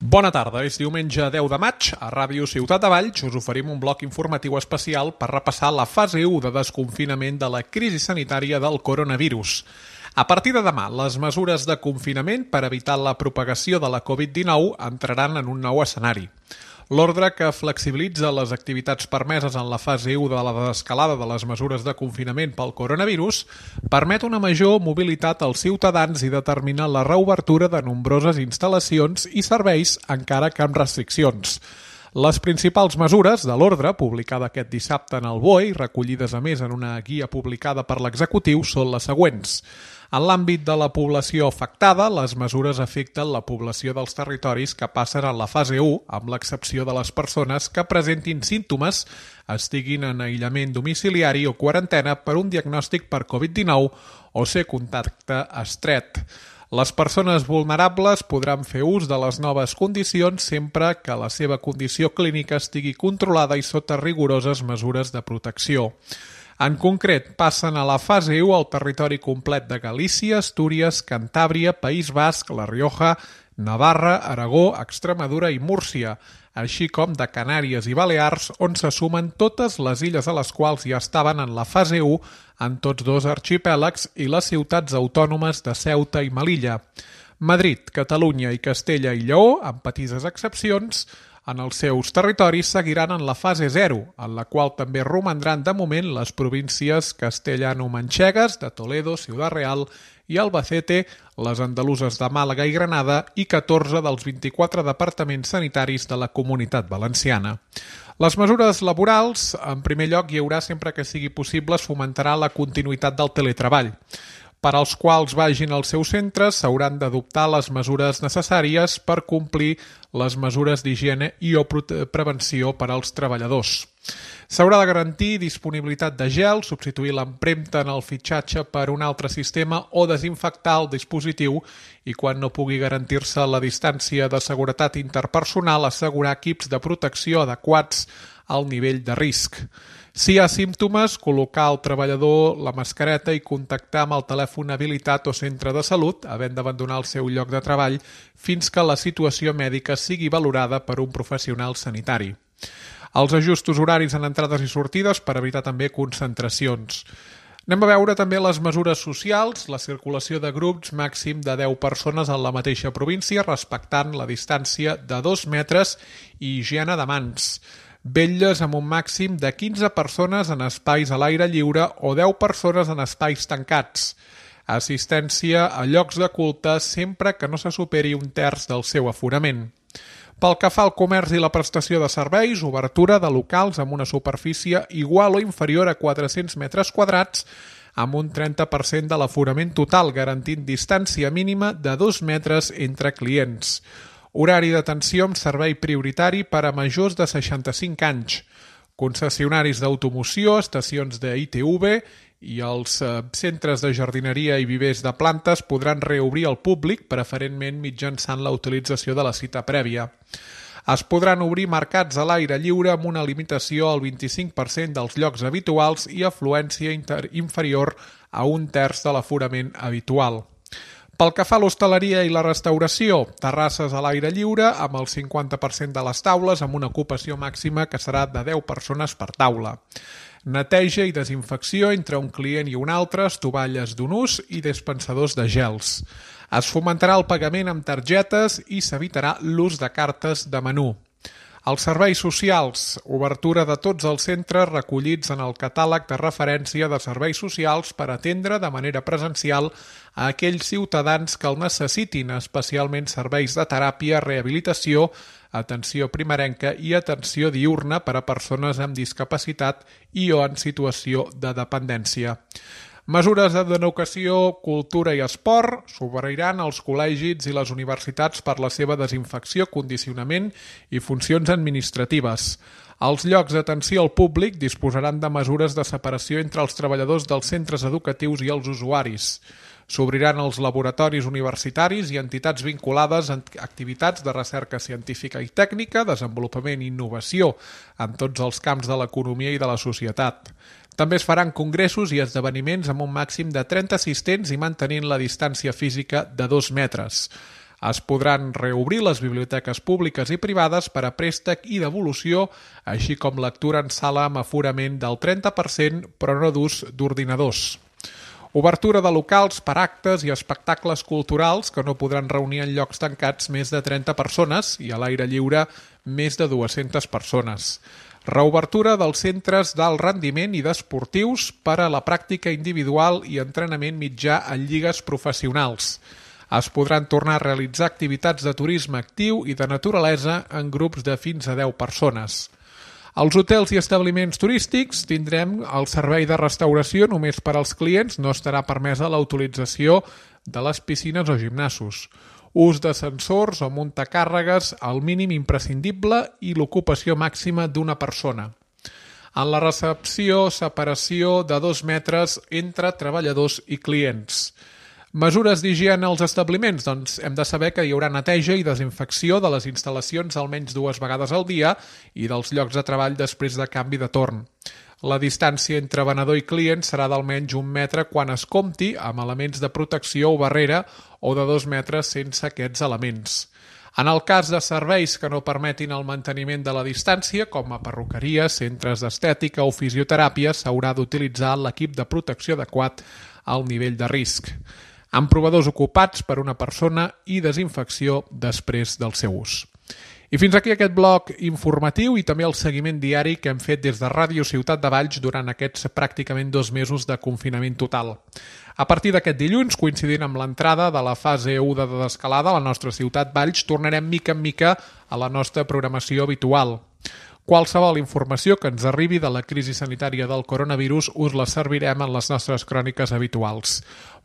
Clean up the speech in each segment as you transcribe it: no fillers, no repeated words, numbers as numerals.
Bona tarda, és diumenge 10 de maig. A Ràdio Ciutat de Valls us oferim un bloc informatiu especial per repassar la fase 1 de desconfinament de la crisi sanitària del coronavirus. A partir de demà, les mesures de confinament per evitar la propagació de la Covid-19 entraran en un nou escenari. L'ordre que flexibilitza les activitats permeses en la fase 1 de la desescalada de les mesures de confinament pel coronavirus permet una major mobilitat als ciutadans i determina la reobertura de nombroses instal·lacions i serveis, encara que amb restriccions. Les principals mesures de l'ordre, publicada aquest dissabte en el BOE i recollides a més en una guia publicada per l'executiu, són les següents. En l'àmbit de la població afectada, les mesures afecten la població dels territoris que passen en la fase 1, amb l'excepció de les persones que presentin símptomes, estiguin en aïllament domiciliari o quarantena per un diagnòstic per Covid-19 o ser contacte estret. Les persones vulnerables podran fer ús de les noves condicions sempre que la seva condició clínica estigui controlada i sota rigoroses mesures de protecció. En concret, passen a la fase 1 el territori complet de Galícia, Astúries, Cantàbria, País Basc, La Rioja, Navarra, Aragó, Extremadura i Múrcia, així com de Canàries i Balears, on se sumen totes les illes a les quals ja estaven en la fase 1 en tots dos arxipèlags i les ciutats autònomes de Ceuta i Melilla. Madrid, Catalunya i Castella i Lleó, amb petites excepcions, en els seus territoris seguiran en la fase 0, en la qual també romandran de moment les províncies castellano-manxegues de Toledo, Ciudad Real i Albacete, les andaluses de Màlaga i Granada i 14 dels 24 departaments sanitaris de la Comunitat Valenciana. Les mesures laborals, en primer lloc, hi haurà sempre que sigui possible, es fomentarà la continuïtat del teletreball. Per als quals vagin als seus centres s'hauran d'adoptar les mesures necessàries per complir les mesures d'higiene i o prevenció per als treballadors. S'haurà de garantir disponibilitat de gel, substituir l'empremta en el fitxatge per un altre sistema o desinfectar el dispositiu i, quan no pugui garantir-se la distància de seguretat interpersonal, assegurar equips de protecció adequats al nivell de risc. Si hi ha símptomes, col·locar al treballador la mascareta i contactar amb el telèfon habilitat o centre de salut, havent d'abandonar el seu lloc de treball, fins que la situació mèdica sigui valorada per un professional sanitari. Els ajustos horaris en entrades i sortides per evitar també concentracions. Anem a veure també les mesures socials, la circulació de grups màxim de 10 persones en la mateixa província, respectant la distància de 2 metres i higiene de mans. Vetlles amb un màxim de 15 persones en espais a l'aire lliure o 10 persones en espais tancats. Assistència a llocs de culte sempre que no se superi un terç del seu aforament. Pel que fa al comerç i la prestació de serveis, obertura de locals amb una superfície igual o inferior a 400 metres quadrats amb un 30% de l'aforament total, garantint distància mínima de 2 metres entre clients. Horari d'atenció amb servei prioritari per a majors de 65 anys, concessionaris d'automoció, estacions de ITV i els centres de jardineria i vivers de plantes podran reobrir al públic, preferentment mitjançant la utilització de la cita prèvia. Es podran obrir mercats a l'aire lliure amb una limitació al 25% dels llocs habituals i afluència inferior a un terç de l'aforament habitual. Pel que fa a l'hostaleria i la restauració, terrasses a l'aire lliure amb el 50% de les taules amb una ocupació màxima que serà de 10 persones per taula. Neteja i desinfecció entre un client i un altre, estovalles d'un ús i dispensadors de gels. Es fomentarà el pagament amb targetes i s'evitarà l'ús de cartes de menú. Els serveis socials, obertura de tots els centres recollits en el catàleg de referència de serveis socials per atendre de manera presencial a aquells ciutadans que el necessitin, especialment serveis de teràpia, rehabilitació, atenció primerenca i atenció diürna per a persones amb discapacitat i o en situació de dependència. Mesures d'educació, cultura i esport s'obriran als col·legis i les universitats per la seva desinfecció, condicionament i funcions administratives. Els llocs d'atenció al públic disposaran de mesures de separació entre els treballadors dels centres educatius i els usuaris. S'obriran els laboratoris universitaris i entitats vinculades a activitats de recerca científica i tècnica, desenvolupament i innovació en tots els camps de l'economia i de la societat. També es faran congressos i esdeveniments amb un màxim de 30 assistents i mantenint la distància física de 2 metres. Es podran reobrir les biblioteques públiques i privades per a préstec i devolució, així com lectura en sala amb aforament del 30%, però no d'ús d'ordinadors. Obertura de locals per actes i espectacles culturals que no podran reunir en llocs tancats més de 30 persones i a l'aire lliure més de 200 persones. Reobertura dels centres d'alt rendiment i d'esportius per a la pràctica individual i entrenament mitjà en lligues professionals. Es podran tornar a realitzar activitats de turisme actiu i de naturalesa en grups de fins a 10 persones. Als hotels i establiments turístics tindrem el servei de restauració només per als clients, no estarà permesa la utilització de les piscines o gimnasos. Ús d'ascensors o muntacàrregues al mínim imprescindible i l'ocupació màxima d'una persona. En la recepció, separació de 2 metres entre treballadors i clients. Mesures d'higiene als establiments? Doncs hem de saber que hi haurà neteja i desinfecció de les instal·lacions almenys 2 vegades al dia i dels llocs de treball després de canvi de torn. La distància entre venedor i client serà d'almenys 1 metre quan es compti amb elements de protecció o barrera o de 2 metres sense aquests elements. En el cas de serveis que no permetin el manteniment de la distància, com a perruqueries, centres d'estètica o fisioteràpia, s'haurà d'utilitzar l'equip de protecció adequat al nivell de risc, amb provadors ocupats per una persona i desinfecció després del seu ús. I fins aquí aquest bloc informatiu i també el seguiment diari que hem fet des de Ràdio Ciutat de Valls durant aquests pràcticament 2 mesos de confinament total. A partir d'aquest dilluns, coincidint amb l'entrada de la fase 1 de desescalada a la nostra ciutat Valls, tornarem mica en mica a la nostra programació habitual. Qualsevol informació que ens arribi de la crisi sanitària del coronavirus us la servirem en les nostres cròniques habituals.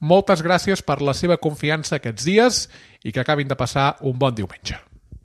Moltes gràcies per la seva confiança aquests dies i que acabin de passar un bon diumenge.